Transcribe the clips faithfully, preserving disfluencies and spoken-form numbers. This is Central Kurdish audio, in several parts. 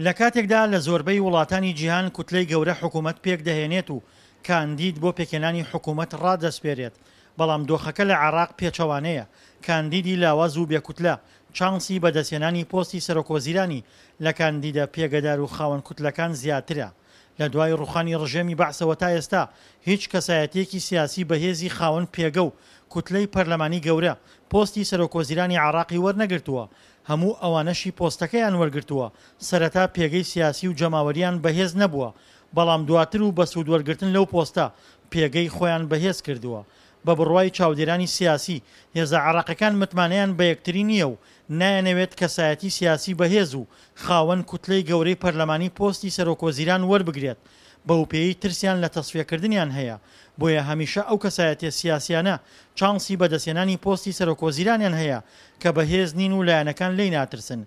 لە کاتێکدا لە زۆربەی وڵاتانی جیهان کوتلەی گەورە حکوومەت پێکدەهێنێت و کاندید بۆ پێکهێنانی حکوومەت ڕادەسپێرێت، بەڵام دۆخەکە لە عێراق پێچەوانەیە، کاندیدی لاواز و بێ کوتلە چانسی بەدەستهێنانی پۆستی سەرۆکوەزیرانی لە کاندیدە پێگەدار و خاوەن کوتلەکان زیاترە. لە دوای ڕوخانی ڕژێمی بەعسەوە تا ئێستا هیچ کەسایەتییەکی سیاسی بەهێزی خاوەن پێگە و کوتلەی پەرلەمانی گەورە پۆستی سەرۆکوەزیرانی عێراقی وەرنەگرتووە، هەموو ئەوانەشی پۆستەکەیان وەرگرتووە سەرەتا پێگەی سیاسی و جەماوەرییان بەهێز نەبووە، بەڵام دواتر و بە سوودوەرگرتن لەو پۆستە پێگەی خۆیان بەهێز کردووە. بە بڕوای چاودێرانی سیاسی، هێزە عێراقیەکان متمانەیان بە یەکتری نییە و نایانەوێت کەسایەتی سیاسی بەهێز و خاوەن کوتلەی گەورەی پەرلەمانی پۆستی سەرۆکوەزیران وەربگرێت بەوپێیەی ترسیان لە تەسفیەکردنیان هەیە، بۆیە هەمیشە ئەو کەسایەتیە سیاسیانە چانسی بەدەستهێنانی پۆستی سەرۆکوەزیرانیان هەیە کە بەهێز نین و لایەنەکان لێی ناترسن.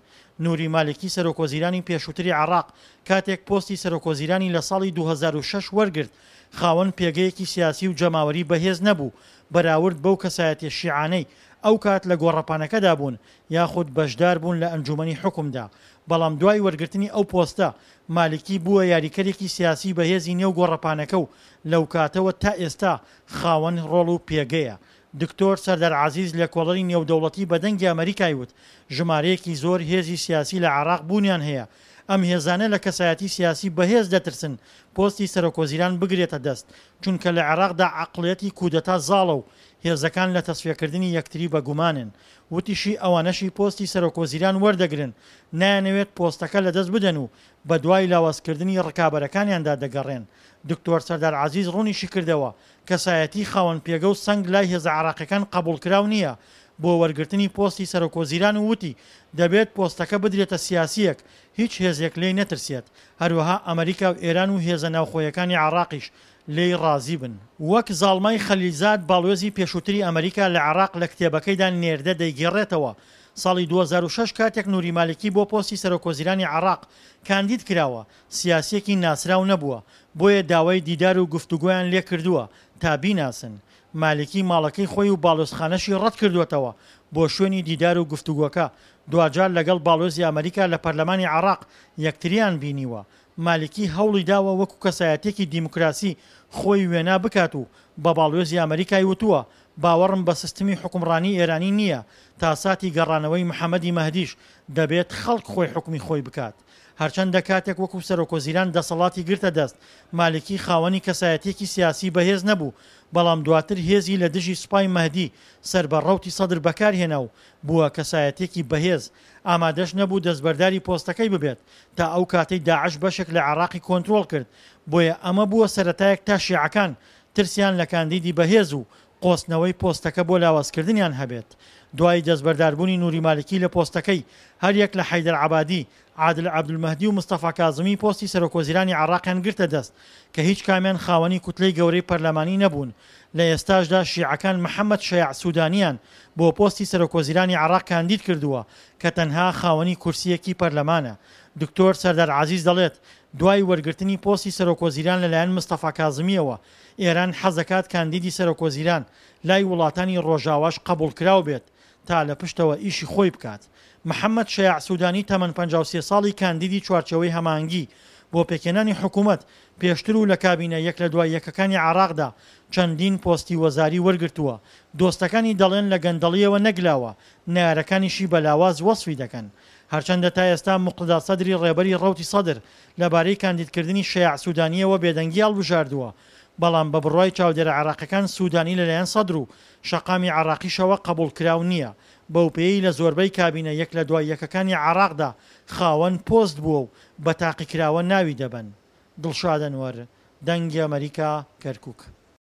نوری مالکی سەرۆکوەزیرانی پێشووتری عێراق کاتێک پۆستی سەرۆکوەزیرانی لە ساڵی دوو هەزار و شەش وەرگرت خاوەن پێگەیەکی سیاسی و جەماوەری بەهێز نەبوو بەراورد بەو کەسایەتیە شیعانەی ئەوکات لە گۆڕەپانەکەدا بوون یاخود بەشدار بوون لە ئەنجومەنی حوکمدا، بەڵام دوای وەرگرتنی ئەو پۆستە مالکی بووە یاریکەرێکی سیاسی بەهێزی نێو گۆڕەپانەکە و لەوکاتەوە تا ئێستا خاوەن ڕۆڵ و پێگەیە. دکتۆر سەردار عەزیز لێکۆڵەری نێودەوڵەتی بە دەنگی ئەمەریکای وت ژمارەیەکی زۆر هێزی سیاسی لە عێراق بوونیان هەیە، ئەم هێزانە لە کەسایەتی سیاسی بەهێز دەترسن پۆستی سەرۆکوەزیران بگرێتە دەست، چونکە لە عێراقدا عەقڵیەتی کودەتا زاڵە و هێزەکان لە تەسفیەکردنی یەکتری بەگومانن. وتیشی ئەوانەشی پۆستی سەرۆکوەزیران وەردەگرن نایانەوێت پۆستەکە لەدەست بدەن و بەدوای لاوازکردنی ڕکابەرەکانیاندا دەگەڕێن. دکتۆر سەردار عەزیز ڕوونیشیکردەوە کەسایەتی خاوەن پێگە و سەنگ لای هێزە عێراقیەکان قبوڵکراو نییە بۆ وەرگرتنی پۆستی سەرۆکوەزیران و وتی دەبێت پۆستەکە بدرێتە سیاسییەک هیچ هێزێک لێی نەترسێت، هەروەها ئەمەریکا و ئێران و هێزە ناوخۆیەکانی عێراقیش لێی ڕازی بن. وەک زاڵمای خەلیلزاد باڵوێزی پێشووتری ئەمەریکا لە عێراق لە کتێبەکەیدا نێردە دەیگێڕێتەوە، ساڵی دوو هەزار و شەش کاتێک نوری مالکی بۆ پۆستی سەرۆکوەزیرانی عێراق کاندید کراوە، سیاسییەکی ناسراو نەبووە، بۆیە داوای دیدار و گفتوگۆیان لێکردووە تا بیناسن. مالکی ماڵەکەی خۆی و باڵوێزخانەشی ڕەتکردووەتەوە بۆ شوێنی دیدار و گفتوگۆکە، دواجار لەگەڵ باڵوێزی ئەمەریکا لە پەرلەمانی عێراق یەکتریان بینیوە. مالکی هەوڵی داوە وەکو کەسایەتییەکی دیموکراسی خۆی وێنا بکات و بە باڵوێزی ئەمەریکای وتووە باوەڕم بە سستمی حوکمڕانی ئێرانی نییە، تا ساتی گەڕانەوەی محەمەدی مەهدیش دەبێت خەڵک خۆی حوکمی خۆی بکات. هەرچەندە کاتێک وەکو سەرۆکوەزیران دەسەڵاتی گرتە دەست، مالکی خاوەنی کەسایەتییەکی سیاسی بەهێز نەبوو، بەڵام دواتر هێزی لە دژی سوپای مەهدی سەر بە ڕەوتی سەدر بەکارهێنا و بووە کەسایەتییەکی بەهێز، ئامادەش نەبوو دەستبەرداری پۆستەکەی ببێت تا ئەو کاتەی داعش بەشێک لە عێراقی کۆنترۆڵ کرد، بۆیە ئەمە بووە سەرەتایەک تا شیعەکان ترسیان لە کاندیدی بەهێز و قۆستنەوەی پۆستەکە بۆ لاوازکردنیان هەبێت. دوای دەستبەرداربوونی نوری مالکی لە پۆستەکەی، هەریەک لە حەیدەر عەبادی، عادل عەبدولمەهدی و مستەفا کازمی پۆستی سەرۆکوەزیرانی عێراقیان گرتە دەست کە هیچ کامیان خاوەنی کوتلەی گەورەی پەرلەمانی نەبوون. لە ئێستاشدا شیعەکان محەمەد شەیاع سودانیان بۆ پۆستی سەرۆکوەزیرانی عێراق کاندید کردووە کە تەنها خاوەنی کورسییەکی پەرلەمانە. دکتۆر سەردار عەزیز دەڵێت، دوای وەرگرتنی پۆستی سەرۆکوەزیران لەلایەن مستەفا کازمییەوە، ئێران حەزدەکات کاندیدی سەرۆکوەزیران لای وڵاتانی ڕۆژاواش قەبوڵکراو بێت تا لە پشتەوە ئیشی خۆی بکات. محەمەد شەیاع سودانی تەمەن پەنجا و سێ ساڵی کاندیدی چوارچێوەی هەماهەنگی بۆ پێکهێنانی حکومەت پێشتر و لە کابینە یەک لە دوای یەکەکانی عێراقدا چەندین پۆستی وەزاری وەرگرتووە، دۆستەکانی دەڵێن لە گەندەڵییەوە نەگلاوە، نەیارەکانیشی بە لاواز وەسفی دەکەن. هەرچەندە تا ئێستا موقتەدا سەدری ڕێبەری ڕەوتی سەدر لەبارەی کاندیدکردنی شەیاع سودانییەوە بێدەنگی هەڵبژاردووە، بەڵام بە بڕوای چاودێرە عێراقیەکان سودانی لەلایەن سەدر و شەقامی عێراقیشەوە قەبوڵکراو نییە، بەوپێیەی لە زۆربەی کابینە یەک لە دوای یەکەکانی عێراقدا خاوەن پۆست بووە و بە تاقیکراوە ناوی دەبەن. دڵشاد ئەنوەر، دەنگی ئەمەریکا، کەرکوک.